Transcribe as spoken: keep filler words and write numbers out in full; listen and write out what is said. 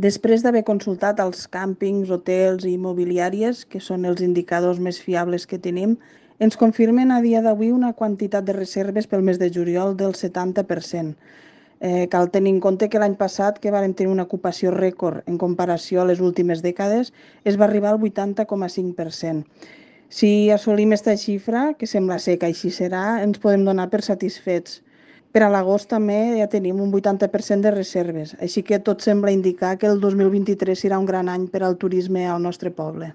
Després d'haver consultat els càmpings, hotels i immobiliàries, que són els indicadors més fiables que tenim, ens confirmen a dia d'avui una quantitat de reserves pel mes de juliol del setanta per cent. Eh, cal tenir en compte que l'any passat, que vàrem tenir una ocupació rècord en comparació a les últimes dècades, es va arribar al vuitanta coma cinc per cent. Si assolim aquesta xifra, que sembla ser que així serà, ens podem donar per satisfets. Per a l'agost també ja tenim un vuitanta per cent de reserves, així que tot sembla indicar que el dos mil vint-i-tres serà un gran any per al turisme al nostre poble.